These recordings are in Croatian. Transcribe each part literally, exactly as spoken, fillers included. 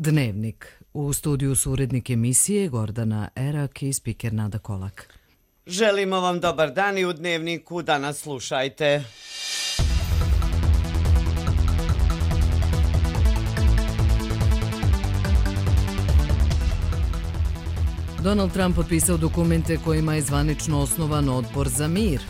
Dnevnik. U studiju su urednik emisije Gordana Erak i spiker Nada Kolak. Želimo vam dobar dan i u Dnevniku danas slušajte. Donald Trump potpisao dokumente kojima je zvanično osnovan odbor za mir.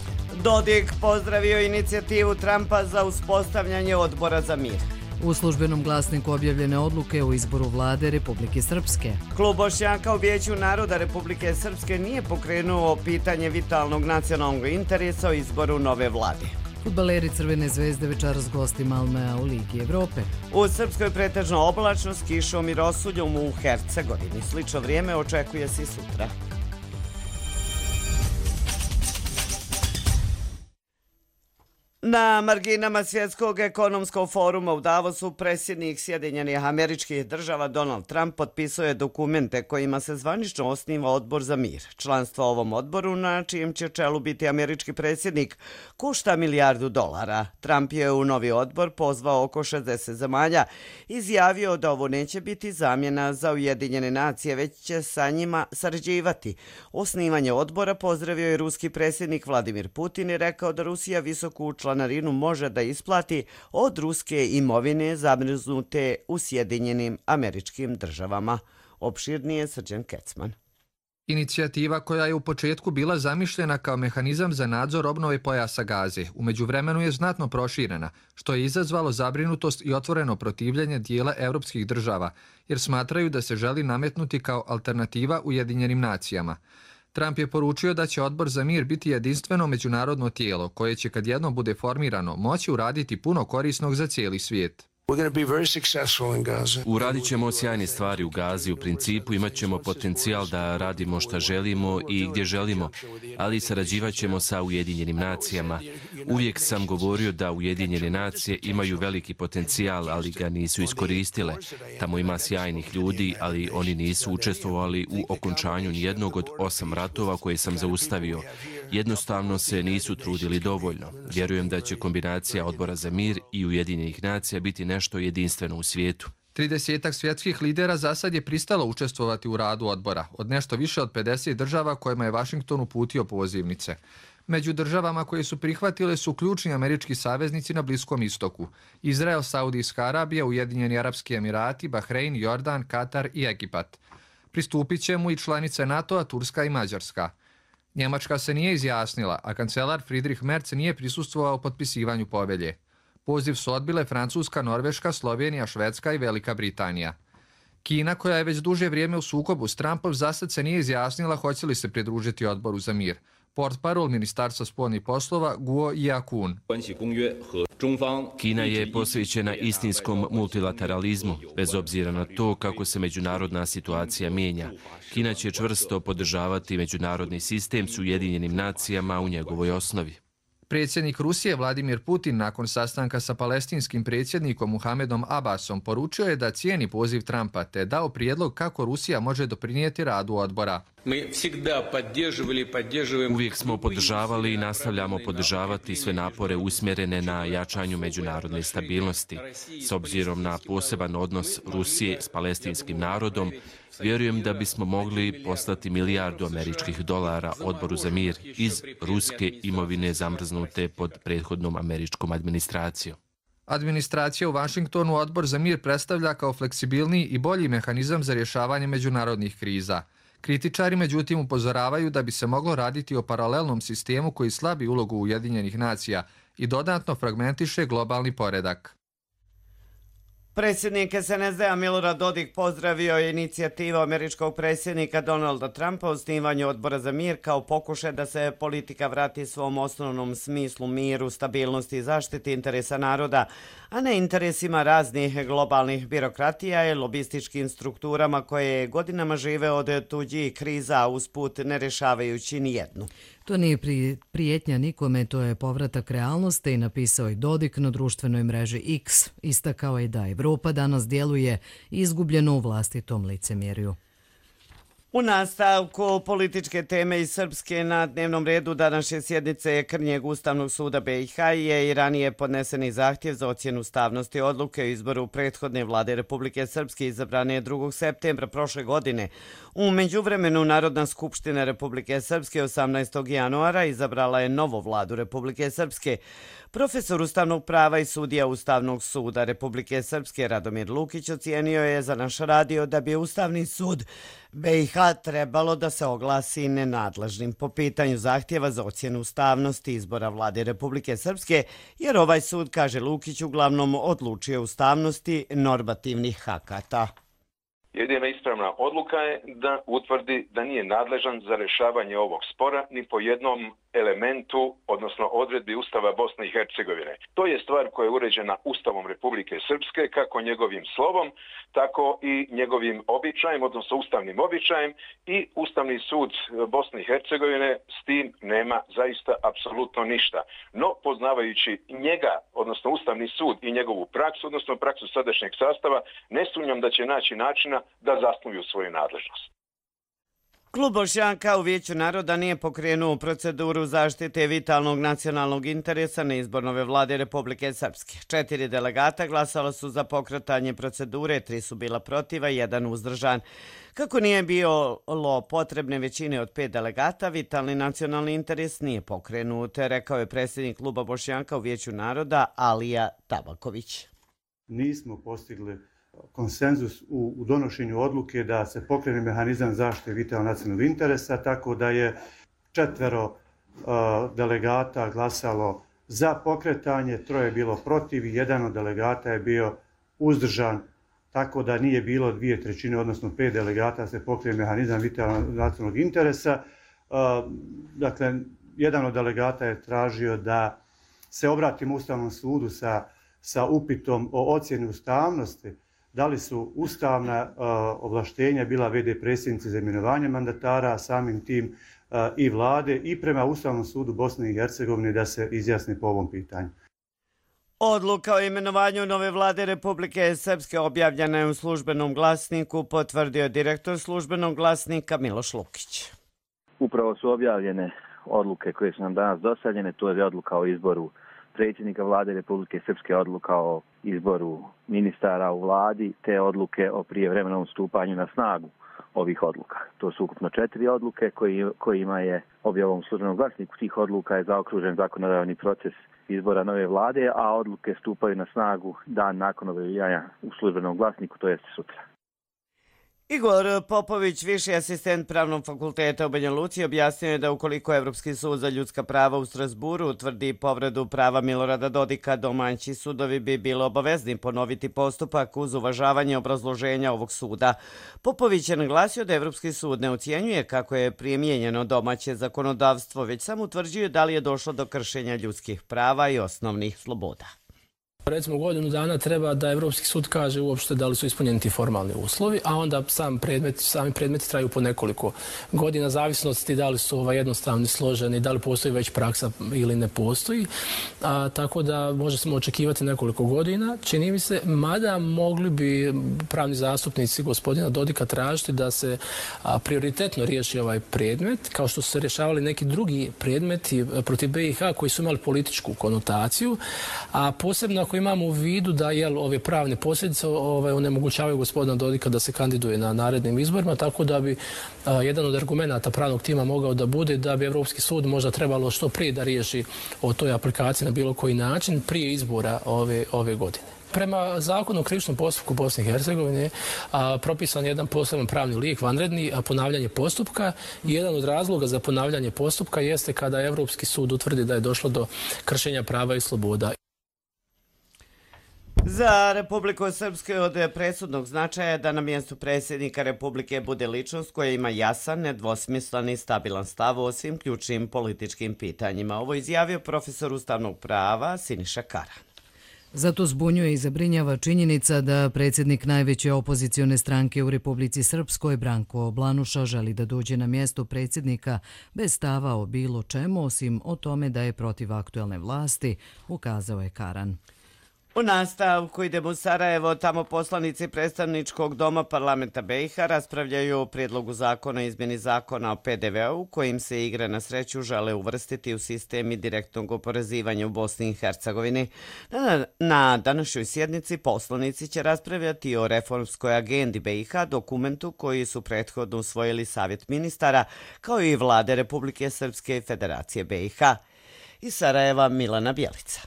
Dodik pozdravio inicijativu Trumpa za uspostavljanje odbora za mir. U službenom glasniku objavljene odluke o izboru vlade Republike Srpske. Klub Bošnjaka u Vijeću naroda Republike Srpske nije pokrenuo pitanje vitalnog nacionalnog interesa o izboru nove vlade. Fudbaleri Crvene zvezde večeras gosti Malmea u Ligi Evrope. U Srpskoj pretežno oblačno s kišom i rosuljom u Hercegovini. Slično vrijeme očekuje se i sutra. Na marginama Svjetskog ekonomskog foruma u Davosu predsjednik Sjedinjenih Američkih Država Donald Trump potpisao je dokumente kojima se zvanično osniva odbor za mir. Članstvo ovom odboru, na čijem će čelu biti američki predsjednik, košta milijardu dolara. Trump je u novi odbor pozvao oko šezdeset zemalja, izjavio da ovo neće biti zamjena za Ujedinjene nacije, već će sa njima sarađivati. Osnivanje odbora pozdravio je ruski predsjednik Vladimir Putin i rekao da Rusija visoku članarinu može da isplati od ruske imovine zamrznute u Sjedinjenim Američkim Državama. Opširnije Srđan Kecman. Inicijativa koja je u početku bila zamišljena kao mehanizam za nadzor obnove pojasa Gaze, u međuvremenu je znatno proširena, što je izazvalo zabrinutost i otvoreno protivljenje dijela evropskih država, jer smatraju da se želi nametnuti kao alternativa Ujedinjenim nacijama. Trump je poručio da će odbor za mir biti jedinstveno međunarodno tijelo koje će, kad jednom bude formirano, moći uraditi puno korisnog za cijeli svijet. Uradit ćemo sjajne stvari u Gazi, u principu imat ćemo potencijal da radimo šta želimo i gdje želimo, ali sarađivat ćemo sa Ujedinjenim nacijama. Uvijek sam govorio da Ujedinjene nacije imaju veliki potencijal, ali ga nisu iskoristile. Tamo ima sjajnih ljudi, ali oni nisu učestvovali u okončanju nijednog od osam ratova koje sam zaustavio. Jednostavno se nisu trudili dovoljno. Vjerujem da će kombinacija odbora za mir i Ujedinjenih nacija biti nešto jedinstveno u svijetu. Tridesetak svjetskih lidera za sad je pristalo učestvovati u radu odbora, od nešto više od pedeset država kojima je Washington uputio pozivnice. Među državama koje su prihvatile su ključni američki saveznici na Bliskom istoku: Izrael, Saudijska Arabija, Ujedinjeni Arapski Emirati, Bahrein, Jordan, Katar i Egipat. Pristupit će mu i članice NATO-a, Turska i Mađarska. Njemačka se nije izjasnila, a kancelar Friedrich Merz nije prisustvovao potpisivanju povelje. Poziv su odbile Francuska, Norveška, Slovenija, Švedska i Velika Britanija. Kina, koja je već duže vrijeme u sukobu s Trumpom, zasad se nije izjasnila hoće li se pridružiti odboru za mir. Portparol Ministarstva spoljnih poslova Guo Jiakun. Kina je posvećena istinskom multilateralizmu, bez obzira na to kako se međunarodna situacija mijenja. Kina će čvrsto podržavati međunarodni sistem s Ujedinjenim nacijama u njegovoj osnovi. Predsjednik Rusije Vladimir Putin nakon sastanka sa palestinskim predsjednikom Muhamedom Abbasom poručio je da cijeni poziv Trumpa te dao prijedlog kako Rusija može doprinijeti radu odbora. Uvijek smo podržavali i nastavljamo podržavati sve napore usmjerene na jačanju međunarodne stabilnosti. S obzirom na poseban odnos Rusije s palestinskim narodom, vjerujem da bismo mogli poslati milijardu američkih dolara odboru za mir iz ruske imovine zamrznute pod prethodnom američkom administracijom. Administracija u Washingtonu odbor za mir predstavlja kao fleksibilniji i bolji mehanizam za rješavanje međunarodnih kriza. Kritičari međutim upozoravaju da bi se moglo raditi o paralelnom sistemu koji slabi ulogu Ujedinjenih nacija i dodatno fragmentiše globalni poredak. Predsjednik S N S D-a Milorad Dodik pozdravio je inicijativu američkog predsjednika Donalda Trumpa o osnivanju odbora za mir kao pokušaj da se politika vrati svom osnovnom smislu miru, stabilnosti i zaštiti interesa naroda, a ne interesima raznih globalnih birokratija i lobističkim strukturama koje godinama žive od tuđih kriza, a usput ne rješavajući nijednu. To nije prijetnja nikome, to je povratak realnosti, napisao je Dodik na društvenoj mreži X. Istakao je da Evropa danas djeluje izgubljeno u vlastitom licemjerju. U nastavku političke teme iz Srpske na dnevnom redu današnje sjednice Krnjeg Ustavnog suda B i H je i ranije podneseni zahtjev za ocjenu ustavnosti odluke o izboru prethodne vlade Republike Srpske izabrane drugog septembra prošle godine. U međuvremenu Narodna skupština Republike Srpske osamnaestog januara izabrala je novu vladu Republike Srpske. Profesor ustavnog prava i sudija Ustavnog suda Republike Srpske Radomir Lukić ocijenio je za naš radio da bi Ustavni sud B i H trebalo da se oglasi nenadležnim po pitanju zahtjeva za ocjenu ustavnosti izbora vlade Republike Srpske, jer ovaj sud, kaže Lukić, uglavnom odlučuje ustavnosti normativnih akata. Jedina ispravna odluka je da utvrdi da nije nadležan za rješavanje ovog spora ni po jednom elementu, odnosno odredbi Ustava Bosne i Hercegovine. To je stvar koja je uređena Ustavom Republike Srpske, kako njegovim slovom, tako i njegovim običajem, odnosno ustavnim običajem, i Ustavni sud Bosne i Hercegovine s tim nema zaista apsolutno ništa. No, poznavajući njega, odnosno Ustavni sud i njegovu praksu, odnosno praksu sadašnjeg sastava, ne sumnjam da će naći načina da zasnuju svoju nadležnost. Klub Bošnjaka u Vijeću naroda nije pokrenuo proceduru zaštite vitalnog nacionalnog interesa neizbornove vlade Republike Srpske. Četiri delegata glasala su za pokretanje procedure, tri su bila protiva i jedan uzdržan. Kako nije bilo potrebne većine od pet delegata, vitalni nacionalni interes nije pokrenut, rekao je predsjednik Kluba Bošnjaka u Vijeću naroda Alija Tabaković. Nismo postigli konsenzus u, u donošenju odluke da se pokrene mehanizam zaštite vitalnog nacionalnog interesa, tako da je četvero uh, delegata glasalo za pokretanje, troje je bilo protiv i jedan od delegata je bio uzdržan, tako da nije bilo dvije trećine, odnosno pet delegata se pokrene mehanizam vitalnog nacionalnog interesa. Uh, dakle, jedan od delegata je tražio da se obratimo Ustavnom sudu sa, sa upitom o ocjeni ustavnosti, da li su ustavna uh, ovlaštenja bila v d predsjednice za imenovanje mandatara, samim tim uh, i vlade i prema Ustavnom sudu Bosne i Hercegovine da se izjasne po ovom pitanju. Odluka o imenovanju nove vlade Republike Srpske objavljena je u službenom glasniku, potvrdio je direktor službenog glasnika Miloš Lukić. Upravo su objavljene odluke koje su nam danas dostavljene, to je odluka o izboru predsjednika vlade Republike Srpske, odluka o izboru ministara u vladi, te odluke o prijevremenom stupanju na snagu ovih odluka. To su ukupno četiri odluke koji, kojima je objavom službenog glasniku tih odluka je zaokružen zakonodavni proces izbora nove vlade, a odluke stupaju na snagu dan nakon objavljivanja u službenom glasniku, to jest sutra. Igor Popović, viši asistent Pravnog fakulteta u Banja Luci, objasnio je da ukoliko Evropski sud za ljudska prava u Strasburu utvrdi povredu prava Milorada Dodika, domaći sudovi bi bili obavezni ponoviti postupak uz uvažavanje obrazloženja ovog suda. Popović je naglasio da Evropski sud ne ocjenjuje kako je primijenjeno domaće zakonodavstvo, već samo utvrđuje da li je došlo do kršenja ljudskih prava i osnovnih sloboda. Recimo godinu dana treba da Evropski sud kaže uopšte da li su ispunjeni ti formalni uslovi, a onda sam predmet, sami predmeti traju po nekoliko godina, zavisnosti da li su ovaj jednostavni, složeni, da li postoji već praksa ili ne postoji. A, tako da možemo očekivati nekoliko godina. Čini mi se, mada mogli bi pravni zastupnici gospodina Dodika tražiti da se a, prioritetno riješi ovaj predmet, kao što su se rješavali neki drugi predmeti protiv B i H koji su imali političku konotaciju, a posebno ako imamo u vidu da jel, ove pravne posljedice ovaj, onemogućavaju gospodina Dodika da se kandiduje na narednim izborima, tako da bi a, jedan od argumenata pravnog tima mogao da bude da bi Evropski sud možda trebalo što prije da riješi o toj aplikaciji na bilo koji način prije izbora ove, ove godine. Prema zakonu o krivičnom postupku Bosne i Hercegovine a, propisan je jedan poseban pravni lijek, vanredni, a ponavljanje postupka. I jedan od razloga za ponavljanje postupka jeste kada Evropski sud utvrdi da je došlo do kršenja prava i sloboda. Za Republiku Srpsku je od presudnog značaja da na mjestu predsjednika Republike bude ličnost koja ima jasan, nedvosmislen i stabilan stav o svim ključnim političkim pitanjima. Ovo izjavio profesor ustavnog prava Siniša Karan. Zato zbunjuje i zabrinjava činjenica da predsjednik najveće opozicione stranke u Republici Srpskoj, Branko Blanuša, želi da dođe na mjesto predsjednika bez stava o bilo čemu, osim o tome da je protiv aktuelne vlasti, ukazao je Karan. U nastavku idemo u Sarajevo, tamo poslanici predstavničkog doma parlamenta B i H raspravljaju o prijedlogu zakona o izmjeni zakona o P D V U kojim se igre na sreću žele uvrstiti u sistem direktnog oporezivanja u Bosni i Hercegovini. Na, na današnjoj sjednici poslanici će raspravljati o reformskoj agendi B i H, dokumentu koji su prethodno usvojili Savjet ministara, kao i vlade Republike Srpske i Federacije B i H. Iz Sarajeva Milana Bjelica.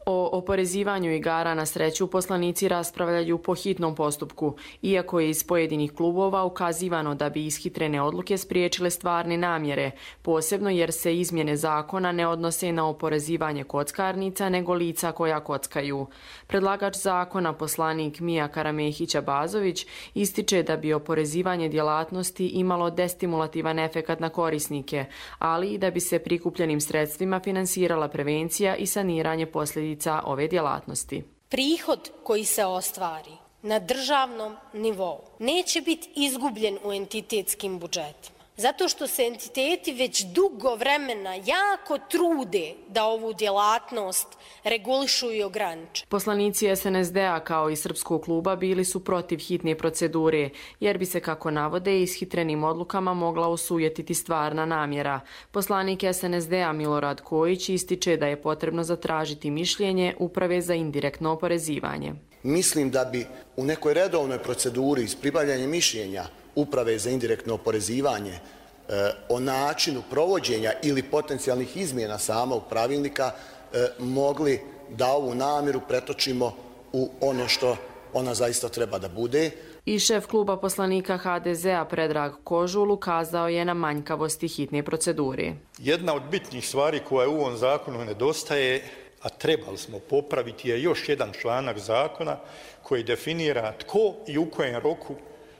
O oporezivanju igara na sreću poslanici raspravljaju po hitnom postupku, iako je iz pojedinih klubova ukazivano da bi ishitrene odluke spriječile stvarne namjere, posebno jer se izmjene zakona ne odnose na oporezivanje kockarnica nego lica koja kockaju. Predlagač zakona, poslanik Mija Karamehića-Bazović, ističe da bi oporezivanje djelatnosti imalo destimulativan efekat na korisnike, ali i da bi se prikupljenim sredstvima finansirala prevencija i saniranje posljedica ove djelatnosti. Prihod koji se ostvari na državnom nivou neće biti izgubljen u entitetskim budžetima, zato što se entiteti već dugo vremena jako trude da ovu djelatnost regulišu i ograniče. Poslanici S N S D-a kao i Srpskog kluba bili su protiv hitne procedure, jer bi se, kako navode, ishitrenim odlukama mogla osujetiti stvarna namjera. Poslanik S N S D-a Milorad Kojić ističe da je potrebno zatražiti mišljenje Uprave za indirektno oporezivanje. Mislim da bi u nekoj redovnoj proceduri s pribavljanjem mišljenja Uprave za indirektno oporezivanje e, o načinu provođenja ili potencijalnih izmjena samog pravilnika e, mogli da ovu namjeru pretočimo u ono što ona zaista treba da bude. I šef kluba poslanika H D Z-a Predrag Kožul ukazao je na manjkavosti hitne procedure. Jedna od bitnih stvari koja u ovom zakonu nedostaje, a trebali smo popraviti, je još jedan članak zakona koji definira tko i u kojem roku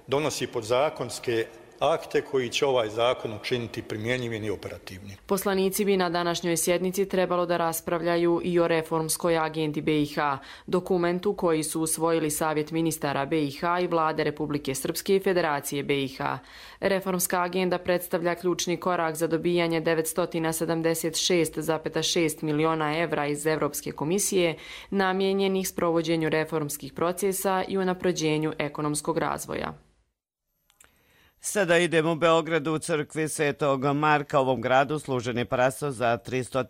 donosi podzakonske akte koji će ovaj zakon učiniti primjenjivim i operativnim. Poslanici bi na današnjoj sjednici trebalo da raspravljaju i o reformskoj agendi B i H, dokumentu koji su usvojili Savjet ministara B i H i vlade Republike Srpske i Federacije B i H. Reformska agenda predstavlja ključni korak za dobijanje devetsto sedamdeset šest zarez šest miliona evra iz Evropske komisije namijenjenih sprovođenju reformskih procesa i unapređenju ekonomskog razvoja. Sada idemo u Beogradu u crkvi Svetog Marka. U ovom gradu služen je parasto za tristo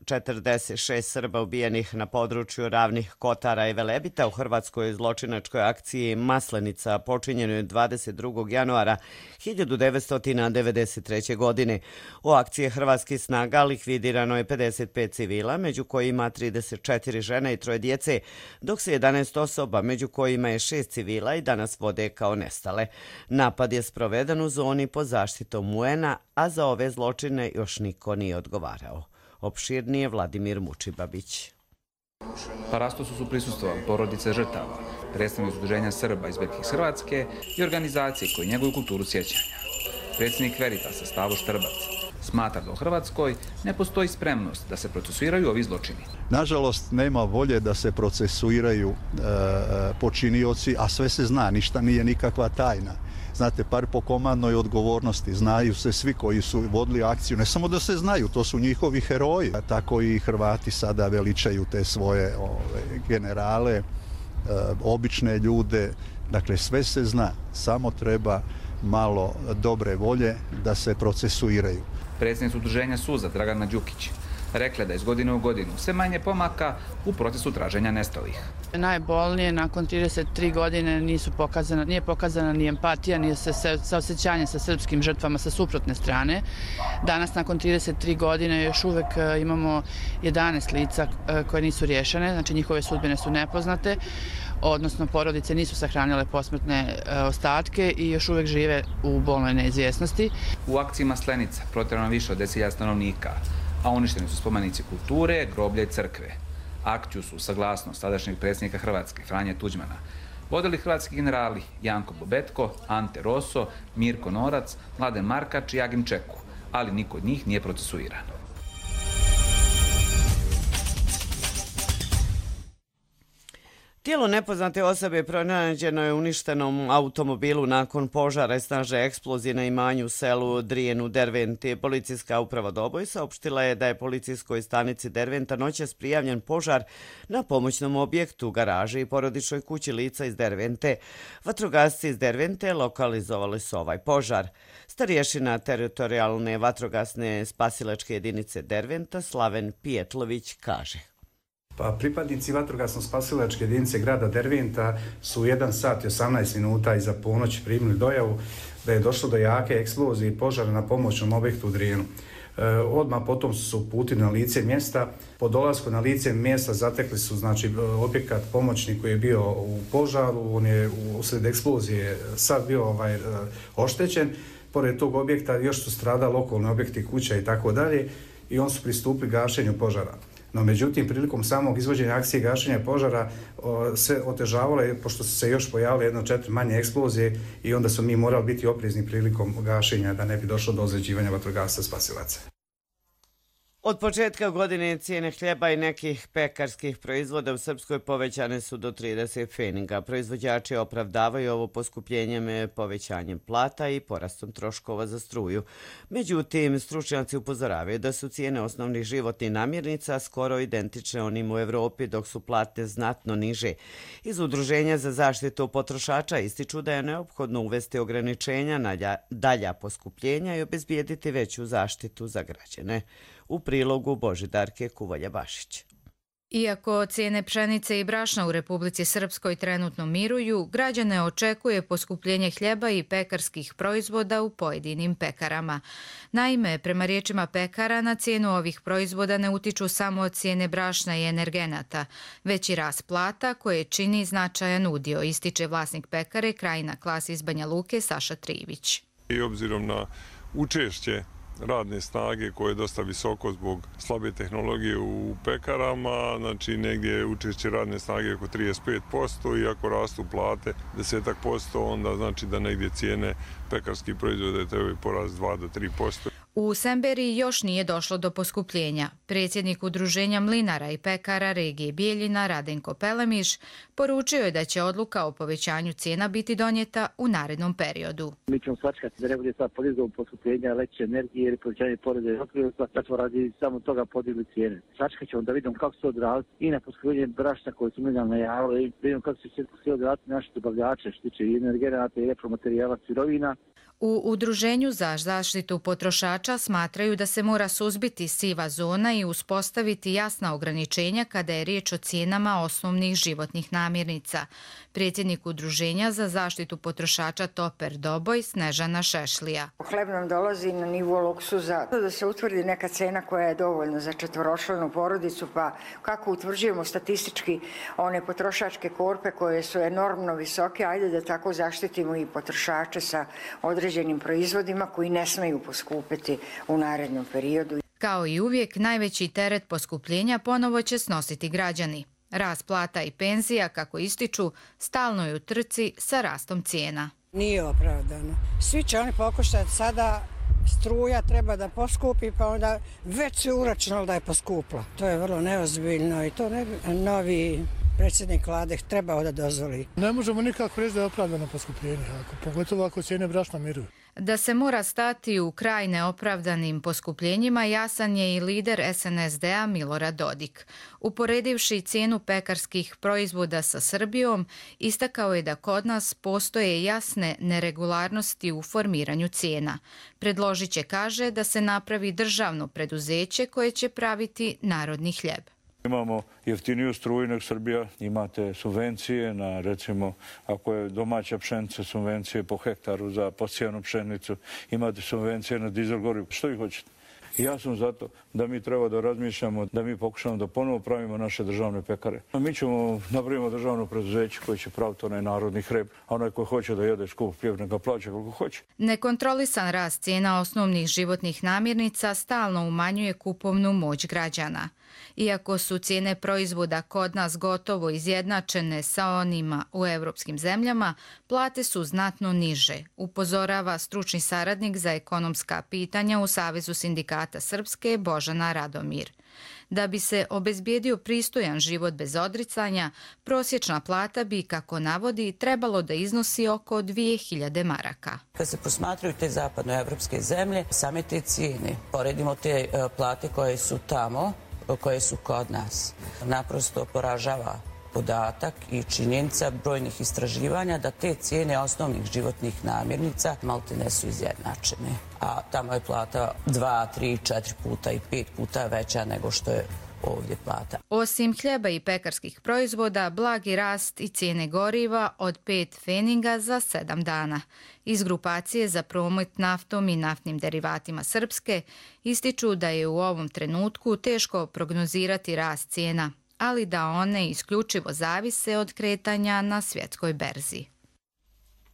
četrdeset šest Srba ubijenih na području Ravnih Kotara i Velebita u hrvatskoj zločinačkoj akciji Maslenica, počinjenoj dvadeset drugog januara hiljadu devetsto devedeset treće. godine. U akciji hrvatskih snaga likvidirano je pedeset pet civila, među kojima trideset četiri žene i troje djece, dok se jedanaest osoba, među kojima je šest civila, i danas vode kao nestale. Napad je sproveden u zoni pod zaštitom U N-a, a za ove zločine još niko nije odgovarao. Opširnije Vladimir Mučibabić. Parastosu su prisustvovali porodice žrtava, predstavnici Udruženja Srba izbjeglih iz Hrvatske i organizacije koje njeguju kulturu sjećanja. Predsjednik Veritasa Stavo Štrbac smatra da u Hrvatskoj ne postoji spremnost da se procesuiraju ovi zločini. Nažalost, nema volje da se procesuiraju e, počinioci, a sve se zna, ništa nije nikakva tajna. Znate, par po komandnoj odgovornosti, znaju se svi koji su vodili akciju, ne samo da se znaju, to su njihovi heroji. Tako i Hrvati sada veličaju te svoje ove, generale, e, obične ljude, dakle sve se zna, samo treba malo dobre volje da se procesuiraju. Predsjednica Udruženja Suza Dragana Đukić rekla da iz godine u godinu sve manje pomaka u procesu traženja nestalih. Najbolnije, nakon trideset tri godine nisu pokazana, nije pokazana ni empatija, ni saosećanje sa srpskim žrtvama sa suprotne strane. Danas, nakon trideset tri godine, još uvek imamo jedanaest lica koje nisu rješene, znači njihove sudbine su nepoznate, odnosno porodice nisu sahranile posmrtne ostatke i još uvek žive u bolnoj neizvjesnosti. U akciji Maslenica protjerano više od deset hiljada stanovnika, a uništeni su spomenici kulture, groblja i crkve. Akciju su, saglasnost tadašnjeg predsjednika Hrvatske Franje Tuđmana, vodili hrvatski generali Janko Bobetko, Ante Roso, Mirko Norac, Mladen Markač i Agim Čeku, ali niko od njih nije procesuiran. Tijelo nepoznate osobe pronađeno je u uništenom automobilu nakon požara i snažne eksplozije na imanju u selu Drijen u Derventi. Policijska uprava Doboj saopštila je da je policijskoj stanici Derventa noćas prijavljen požar na pomoćnom objektu, garaži i porodičnoj kući lica iz Dervente. Vatrogasci iz Dervente lokalizovali su ovaj požar. Starješina teritorijalne vatrogasne spasilačke jedinice Derventa Slaven Pijetlović kaže. Pa pripadnici vatrogasno-spasilačke jedinice grada Derventa su u jedan sat i osamnaest minuta iza ponoći primili dojavu da je došlo do jake eksplozije i požara na pomoćnom objektu u Drijenu. E, odmah potom su se uputili na lice mjesta. Po dolasku na lice mjesta zatekli su znači, objekat pomoćni koji je bio u požaru, on je usred eksplozije sad bio ovaj, oštećen. Pored tog objekta još su stradali okolni objekti, kuća i tako dalje i on su pristupili gašenju požara. No, međutim, prilikom samog izvođenja akcije gašenja požara o, se otežavalo je, pošto su se još pojavile jedno četiri manje eksplozije i onda su mi morali biti oprezni prilikom gašenja da ne bi došlo do ozljeđivanja vatrogasaca spasilaca. Od početka godine cijene hljeba i nekih pekarskih proizvoda u Srpskoj povećane su do trideset pfeniga. Proizvođači opravdavaju ovo poskupljenjem povećanjem plata i porastom troškova za struju. Međutim, stručnjaci upozoravaju da su cijene osnovnih životnih namirnica skoro identične onim u Evropi, dok su plate znatno niže. Iz Udruženja za zaštitu potrošača ističu da je neophodno uvesti ograničenja na dalja poskupljenja i obezbijediti veću zaštitu za građane. U prilogu Božidarke Kuvalja-Bašić. Iako cijene pšenice i brašna u Republici Srpskoj trenutno miruju, građane očekuje poskupljenje hljeba i pekarskih proizvoda u pojedinim pekarama. Naime, prema riječima pekara, na cijenu ovih proizvoda ne utiču samo cijene brašna i energenata, već i rast plata koje čini značajan udio, ističe vlasnik pekare Krajina Klas iz Banja Luke Saša Trivić. I obzirom na učešće radne snage koje je dosta visoko zbog slabe tehnologije u pekarama, znači negdje je učešće radne snage oko trideset pet posto i ako rastu plate deset posto, onda znači da negdje cijene pekarskih proizvoda trebaju porast dva do tri posto. U Semberiji još nije došlo do poskupljenja. Predsjednik Udruženja mlinara i pekara regije Bijeljina Radenko Pelemiš poručio je da će odluka o povećanju cijena biti donijeta u narednom periodu. Mi ćemo svačkati da ne bude sad podizgom poskupljenja električne energije ili povećanje poreza i doprinosa, da smo radi samo toga podigli cijene. Svačkat ćemo da vidimo kako se odraziti i na poskupljenje brašna koje su mlinarno najavili i da vidimo kako će se odraziti naši dobavljače što tiče i energenata i repromaterijala sirovina. U Udruženju za zaštitu potrošača smatraju da se mora suzbiti siva zona i uspostaviti jasna ograničenja kada je riječ o cijenama osnovnih životnih namirnica. Predsjednik Udruženja za zaštitu potrošača Toper Doboj Snežana Šešlija. Hleb nam dolazi na nivo luksuza. Da se utvrdi neka cena koja je dovoljna za četvoročlanu porodicu, pa kako utvrđujemo statistički one potrošačke korpe koje su enormno visoke, ajde da tako zaštitimo i potrošače sa određenim proizvodima koji ne smeju poskupiti u narednom periodu. Kao i uvijek, najveći teret poskupljenja ponovo će snositi građani. Rast plata i penzija, kako ističu, stalno je u trci sa rastom cijena. Nije opravdano. Svi će oni pokušati sada, struja treba da poskupi, pa onda već se uračunalo da je poskupla. To je vrlo neozbiljno i to ne bi novi predsjednik vlade trebao da dozvoli. Ne možemo nikako reći da je opravdano poskupljenje, pogotovo ako cijene brašna miruju. Da se mora stati u kraj neopravdanim poskupljenjima jasan je i lider S N S D-a Milorad Dodik. Uporedivši cijenu pekarskih proizvoda sa Srbijom, istakao je da kod nas postoje jasne neregularnosti u formiranju cijena. Predložit će, kaže, da se napravi državno preduzeće koje će praviti narodni hljeb. Imamo jeftiniju struju nego Srbija, imate subvencije na, recimo, ako je domaća pšenica, subvencije po hektaru za posijanu pšenicu, imate subvencije na dizel gorivo. Što vi hoćete? I ja sam zato da mi treba da razmišljamo, da mi pokušamo da ponovo pravimo naše državne pekare. Mi ćemo napravimo državno preduzeće koje će praviti onaj narodni hleb, a onaj koji hoće da jede skup hljeb neka plaća koliko hoće. Nekontrolisan rast cijena osnovnih životnih namirnica stalno umanjuje kupovnu moć građana. Iako su cijene proizvoda kod nas gotovo izjednačene sa onima u europskim zemljama, plate su znatno niže, upozorava stručni saradnik za ekonomska pitanja u Savezu sindikata Srpske Božana Radomir. Da bi se obezbijedio pristojan život bez odricanja, prosječna plata bi, kako navodi, trebalo da iznosi oko dvije hiljade maraka. Kad se posmatraju te zapadnoevropske zemlje, same te cijene, poredimo te plate koje su tamo, koje su kod nas, naprosto poražava podatak i činjenica brojnih istraživanja da te cijene osnovnih životnih namirnica maltene su izjednačene. A tamo je plata dva, tri, četiri puta i pet puta veća nego što je ovdje plata. Osim hljeba i pekarskih proizvoda, blagi rast i cijene goriva od pet pfeniga za sedam dana. Iz grupacije za promet naftom i naftnim derivatima Srpske ističu da je u ovom trenutku teško prognozirati rast cijena, ali da one isključivo zavise od kretanja na svjetskoj berzi.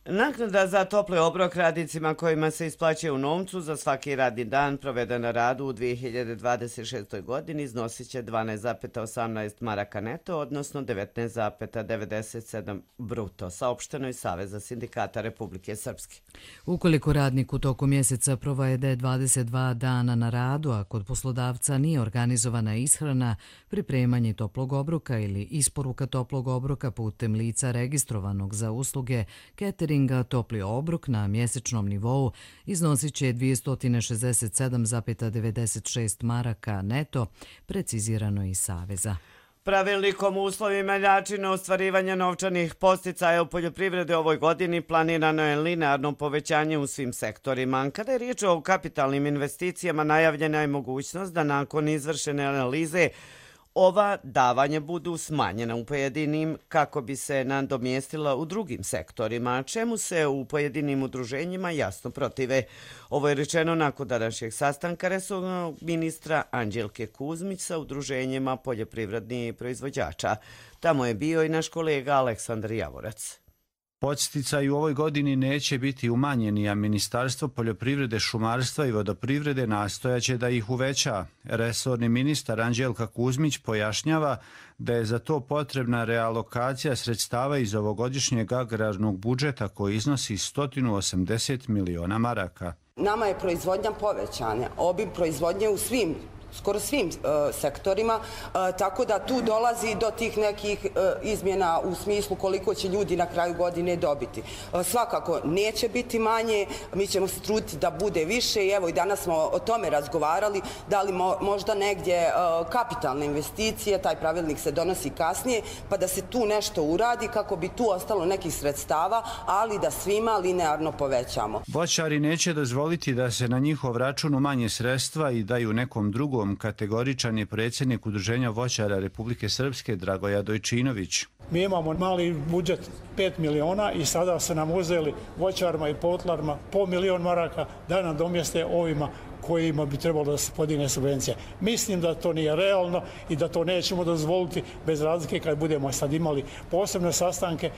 Naknada za topli obrok radnicima kojima se isplaćuje u novcu za svaki radni dan proveden na radu u dvije hiljade dvadeset šestoj. godini iznosit će dvanaest zarez osamnaest maraka neto, odnosno devetnaest zarez devedeset sedam bruto, saopšteno iz Saveza sindikata Republike Srpske. Ukoliko radnik u toku mjeseca provede dvadeset dva dana na radu, a kod poslodavca nije organizovana ishrana, pripremanje toplog obroka ili isporuka toplog obroka putem lica registrovanog za usluge catering, topli obrok na mjesečnom nivou iznosit će dvjesto šezdeset sedam zarez devedeset šest maraka neto, precizirano iz Saveza. Pravilnikom o uslovima i načinu ostvarivanja novčanih podsticaja u poljoprivredi ovoj godini planirano je linearno povećanje u svim sektorima. Kada je riječ o kapitalnim investicijama, najavljena je mogućnost da nakon izvršene analize ova davanja budu smanjena u pojedinim kako bi se nadomjestila u drugim sektorima, čemu se u pojedinim udruženjima jasno protive. Ovo je rečeno nakon današnjeg sastanka resornog ministra Anđelke Kuzmić sa udruženjima poljoprivrednih proizvođača. Tamo je bio i naš kolega Aleksandar Javorac. Podsticaji u ovoj godini neće biti umanjeni, a Ministarstvo poljoprivrede, šumarstva i vodoprivrede nastojaće da ih uveća. Resorni ministar Anđelka Kuzmić pojašnjava da je za to potrebna realokacija sredstava iz ovogodišnjeg agrarnog budžeta koji iznosi sto osamdeset miliona maraka. Nama je proizvodnja povećana, obim proizvodnje u svim skoro svim uh, sektorima, uh, tako da tu dolazi do tih nekih uh, izmjena u smislu koliko će ljudi na kraju godine dobiti. Uh, svakako neće biti manje, mi ćemo se truditi da bude više i evo i danas smo o tome razgovarali, da li mo možda negdje uh, kapitalne investicije, taj pravilnik se donosi kasnije, pa da se tu nešto uradi kako bi tu ostalo nekih sredstava, ali da svima linearno povećamo. Voćari neće dozvoliti da se na njihov račun umanje sredstva i daju nekom drugom. Kategoričan je predsjednik Udruženja voćara Republike Srpske Dragoja Dojčinović. Mi imamo mali budžet pet miliona i sada se nam uzeli voćarima i potlarima po milion maraka da nam domjeste ovima kojima bi trebalo da se podigne subvencija. Mislim da to nije realno i da to nećemo dozvoliti bez razlike kad budemo sad imali posebne sastanke.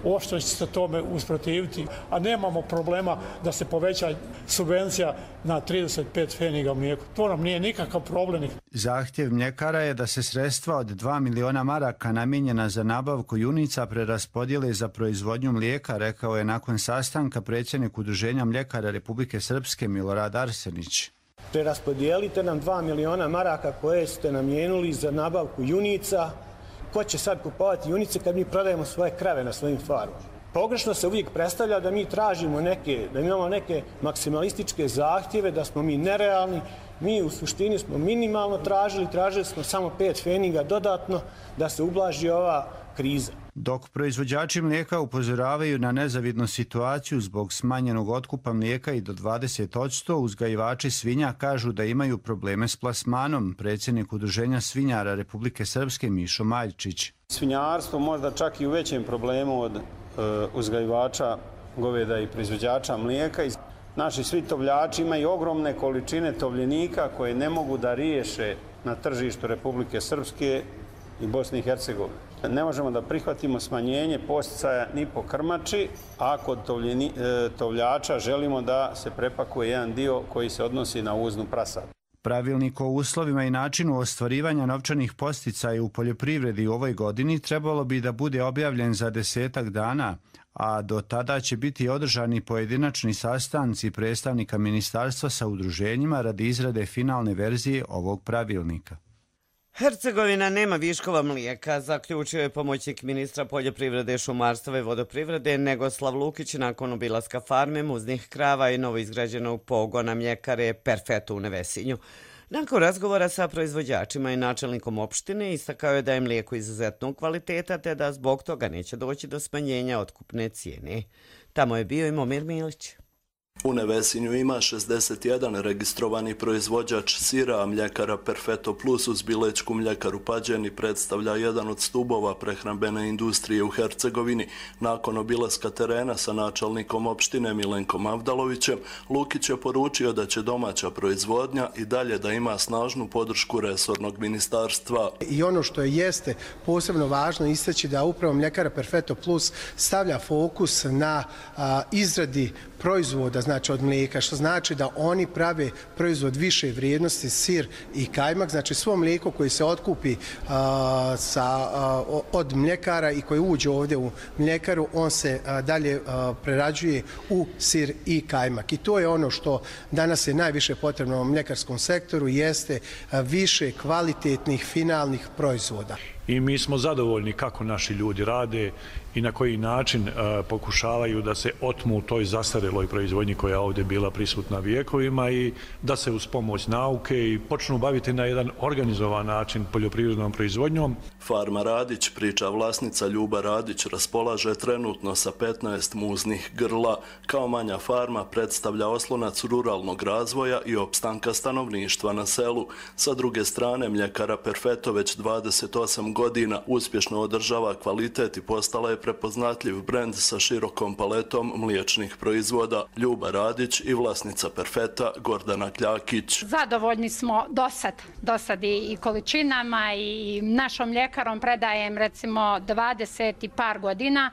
Ošto će se tome usprotiviti, a nemamo problema da se poveća subvencija na trideset pet pfeniga u mlijeku. To nam nije nikakav problem. Zahtjev mljekara je da se sredstva od dva miliona maraka namijenjena za nabavku junica preraspodijele za proizvodnju mlijeka, rekao je nakon sastanka predsjednik Udruženja mljekara Republike Srpske Milorad Arsenić. Preraspodijelite nam dva miliona maraka koje ste namijenili za nabavku junica. Ko će sad kupovati junice kad mi prodajemo svoje krave na svojim farmama? Pogrešno se uvijek predstavlja da mi tražimo neke, da imamo neke maksimalističke zahtjeve, da smo mi nerealni. Mi u suštini smo minimalno tražili, tražili smo samo pet pfeniga dodatno da se ublaži ova kriza. Dok proizvođači mlijeka upozoravaju na nezavidnu situaciju zbog smanjenog otkupa mlijeka i do dvadeset posto, uzgajivači svinja kažu da imaju probleme s plasmanom. Predsjednik Udruženja svinjara Republike Srpske Mišo Maljčić. Svinjarstvo možda čak i u većem problemu od e, uzgajivača goveda i proizvođača mlijeka. Naši svi tovljači imaju ogromne količine tovljenika koje ne mogu da riješe na tržištu Republike Srpske i Bosne i Hercegovine. Ne možemo da prihvatimo smanjenje podsticaja ni po krmači, a kod tovljača želimo da se prepakuje jedan dio koji se odnosi na uznu prasad. Pravilnik o uslovima i načinu ostvarivanja novčanih podsticaja u poljoprivredi u ovoj godini trebalo bi da bude objavljen za desetak dana, a do tada će biti održani pojedinačni sastanci predstavnika ministarstva sa udruženjima radi izrade finalne verzije ovog pravilnika. Hercegovina nema viškova mlijeka, zaključio je pomoćnik ministra poljoprivrede, šumarstva i vodoprivrede Negoslav Lukić nakon obilaska farme muznih krava i novoizgrađenog pogona mljekare Perfeto u Nevesinju. Nakon razgovora sa proizvođačima i načelnikom opštine istakao je da je mlijeko izuzetnog kvaliteta te da zbog toga neće doći do smanjenja otkupne cijene. Tamo je bio i Momir Milić. U Nevesinju ima šezdeset jedan registrovani proizvođač sira, a mljekara Perfeto Plus uz bilečku mljekaru Pađeni predstavlja jedan od stubova prehrambene industrije u Hercegovini. Nakon obilaska terena sa načelnikom opštine Milenkom Avdalovićem, Lukić je poručio da će domaća proizvodnja i dalje da ima snažnu podršku resornog ministarstva. I ono što je jeste posebno važno istaći da upravo mljekara Perfeto Plus stavlja fokus na a, izradi proizvoda, znači od mlijeka, što znači da oni prave proizvod više vrijednosti, sir i kajmak, znači svo mlijeko koje se otkupi a, sa, a, od mljekara i koje uđe ovdje u mljekaru, on se a, dalje a, prerađuje u sir i kajmak. I to je ono što danas je najviše potrebno u mljekarskom sektoru, jeste a, više kvalitetnih finalnih proizvoda. I mi smo zadovoljni kako naši ljudi rade i na koji način e, pokušavaju da se otmu toj zastareloj proizvodnji koja je ovdje bila prisutna vijekovima i da se uz pomoć nauke i počnu baviti na jedan organizovan način poljoprivrednom proizvodnjom. Farma Radić, priča vlasnica Ljuba Radić, raspolaže trenutno sa petnaest muznih grla. Kao manja farma predstavlja oslonac ruralnog razvoja i opstanka stanovništva na selu. Sa druge strane, mljekara Perfeto već dvadeset osam godina uspješno održava kvalitet i postala je prepoznatljiv brend sa širokom paletom mliječnih proizvoda. Ljuba Radić i vlasnica Perfeta Gordana Kljakić. Zadovoljni smo dosad, dosad i količinama i našom mljekarom predajem recimo dvadeset i par godina.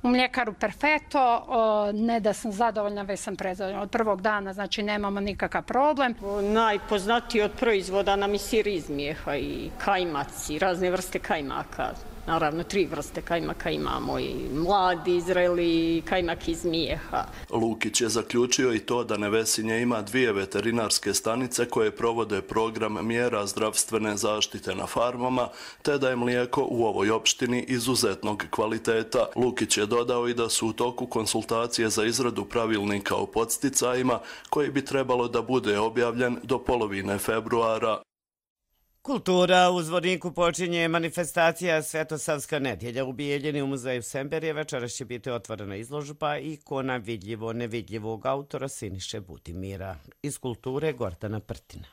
U mljekaru Perfeto, ne da sam zadovoljna, već sam prezadovoljna. Od prvog dana, znači nemamo nikakav problem. Najpoznatiji od proizvoda nam i sir iz mlijeha i kajmac i razne vrste kajmaka. Naravno, tri vrste kajmaka imamo, i mladi, zreli, i kajmak iz mlijeha. Lukić je zaključio i to da Nevesinje ima dvije veterinarske stanice koje provode program mjera zdravstvene zaštite na farmama, te da je mlijeko u ovoj opštini izuzetnog kvaliteta. Lukić je dodao i da su u toku konsultacije za izradu pravilnika o podsticajima, koji bi trebalo da bude objavljen do polovine februara. Kultura u Zvorniku počinje manifestacija Svetosavska nedjelja. U Bijeljini u muzeju Semberije večeras će biti otvorena izložba ikona vidljivo nevidljivog autora Siniše Budimira. Iz kulture Gordana Prtina.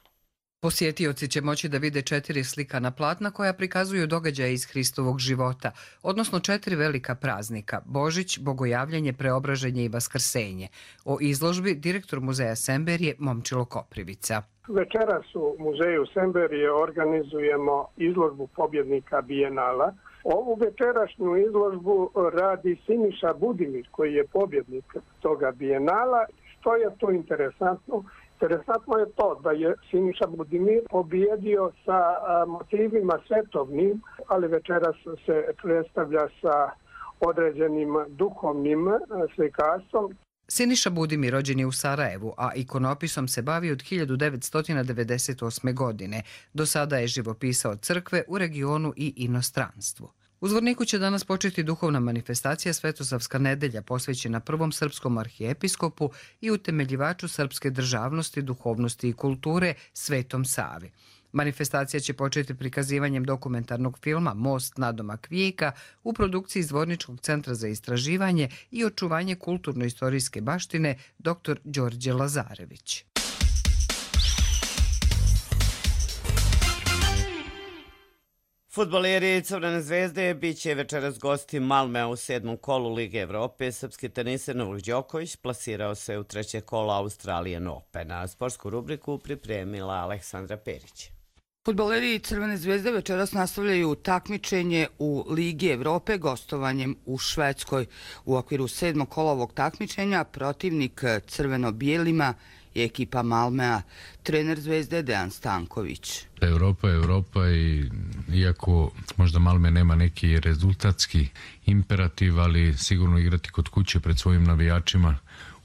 Posjetioci će moći da vide četiri slikana platna koja prikazuju događaje iz Hristovog života, odnosno četiri velika praznika: Božić, Bogojavljanje, Preobraženje i Vaskrsenje. O izložbi direktor muzeja Semberije Momčilo Koprivica. Večeras u muzeju Semberije organizujemo izložbu pobjednika Bijenala. Ovu večerašnju izložbu radi Siniša Budimir, koji je pobjednik toga Bijenala. Što je to interesantno? Interesantno je to da je Siniša Budimir pobjedio sa motivima svetovnim, ali večeras se predstavlja sa određenim duhovnim slikarstvom. Siniša Budimir rođen je u Sarajevu, a ikonopisom se bavi od hiljadu devetsto devedeset osme. godine. Do sada je živopisao crkve u regionu i inostranstvu. U Zvorniku će danas početi duhovna manifestacija Svetosavska nedelja posvećena prvom srpskom arhijepiskopu i utemeljivaču srpske državnosti, duhovnosti i kulture Svetom Savi. Manifestacija će početi prikazivanjem dokumentarnog filma Most nadomak vijeka u produkciji Zvorničkog centra za istraživanje i očuvanje kulturno-istorijske baštine dr. Đorđe Lazarević. Fudbaleri Crvene zvezde bit će večeras gosti Malmea u sedmom kolu Lige Evrope. Srpski teniser Novak Đoković plasirao se u treće kolo Australian Opena. Sportsku rubriku pripremila Aleksandra Perić. Fudbaleri Crvene zvezde večeras nastavljaju takmičenje u Ligi Evrope gostovanjem u Švedskoj. U okviru sedmog kola ovog takmičenja protivnik crveno-bijelima i ekipa Malmea, trener Zvezde Dejan Stanković. Europa je Europa i iako možda Malme nema neki rezultatski imperativ, ali sigurno igrati kod kuće pred svojim navijačima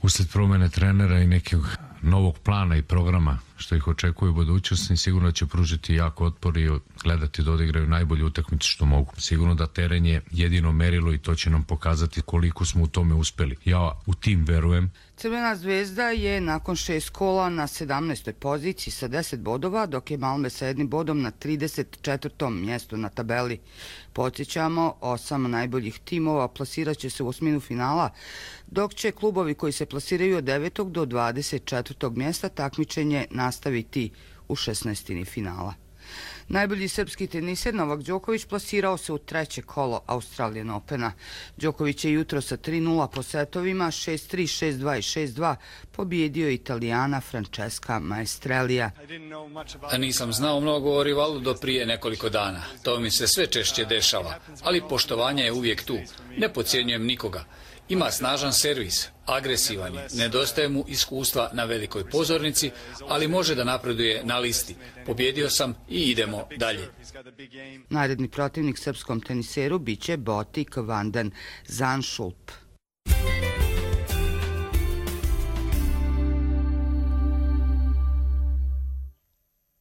usled promene trenera i nekog novog plana i programa što ih očekuje u budućnosti, sigurno će pružiti jako otpor i gledati da odigraju najbolju utakmicu što mogu. Sigurno da teren je jedino merilo i to će nam pokazati koliko smo u tome uspeli. Ja u tim verujem. Crvena zvezda je nakon šest kola na sedamnaestoj poziciji sa deset bodova, dok je Malme sa jednim bodom na trideset četvrtom mjestu na tabeli. Podsjećamo, osam najboljih timova plasirat će se u osminu finala, dok će klubovi koji se plasiraju od devetog do dvadeset četvrtog mjesta takmičenje nastaviti u šesnaestini finala. Najbolji srpski teniser Novak Đoković plasirao se u treće kolo Australian Opena. Đoković je jutro sa tri nula po setovima šest tri, šest dva i šest dva pobijedio Italijana Francesca Maestrelija. Nisam znao mnogo o rivalu do prije nekoliko dana. To mi se sve češće dešava, ali poštovanje je uvijek tu. Ne podcjenjujem nikoga. Ima snažan servis, agresivan je, nedostaje mu iskustva na velikoj pozornici, ali može da napreduje na listi. Pobjedio sam i idemo dalje. Naredni protivnik srpskom teniseru biće Botik Vanden Zandschulp.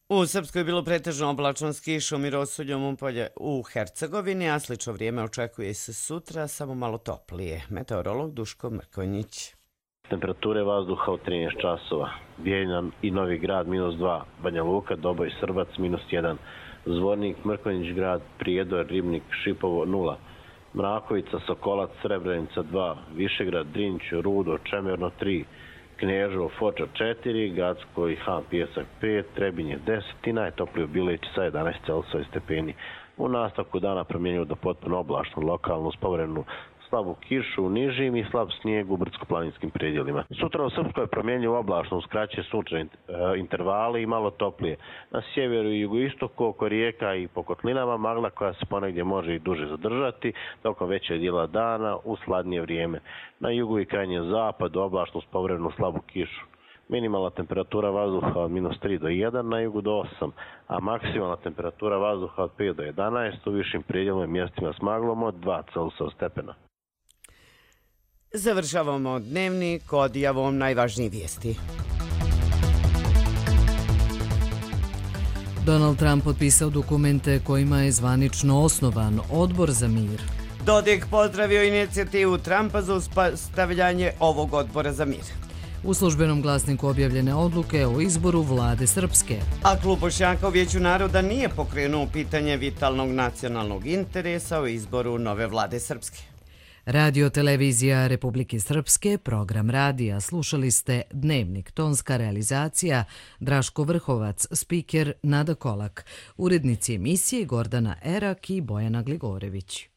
U Srpskoj je bilo pretežno oblačno s kišom i rosuljom upolje u Hercegovini, a slično vrijeme očekuje se sutra, samo malo toplije. Meteorolog Duško Mrkonjić. Temperature vazduha u trinaest časova. Bijeljina i Novi Grad minus dva, Banja Luka, Doboj, Srbac minus jedan, Zvornik, Mrkonjić grad, Prijedor, Ribnik, Šipovo nula, Mrakovica, Sokolac, Srebrenica dva, Višegrad, Drinć, Rudo, Čemerno tri, Knježevo, Foča četiri, Gacko i Han Pijesak pet, Trebinje deset i najtoplije u Bileći sa jedanaest stepeni. U nastavku dana promjenjuju do potpuno oblačno, lokalnu spovremenu slabu kišu u nižim i slab snijeg u brdsko-planinskim predjelima. Sutra u Srpskoj je promjenjivo oblačno, uskraće sunčane intervale i malo toplije. Na sjeveru i jugoistoku oko rijeka i po kotlinama magla koja se ponegdje može i duže zadržati, tokom većeg dijela dana u sladnije vrijeme. Na jugu i krajnjem zapadu oblačno s povremenu slabu kišu. Minimalna temperatura vazduha od minus tri do jedan, na jugu do osam, a maksimalna temperatura vazduha od pet do jedanaest, u višim predjelima mjestima s maglom od dva stepena. Završavamo dnevnik odjavom najvažnijih vijesti. Donald Trump potpisao dokumente kojima je zvanično osnovan Odbor za mir. Dodik pozdravio inicijativu Trumpa za uspostavljanje ovog Odbora za mir. U službenom glasniku objavljene odluke o izboru vlade Srpske. A klub Bošnjaka u Vijeću naroda nije pokrenuo pitanje vitalnog nacionalnog interesa o izboru nove vlade Srpske. Radio televizija Republike Srpske, program radija, slušali ste Dnevnik, tonska realizacija, Draško Vrhovac, spiker Nada Kolak, urednici emisije Gordana Erak i Bojana Gligorević.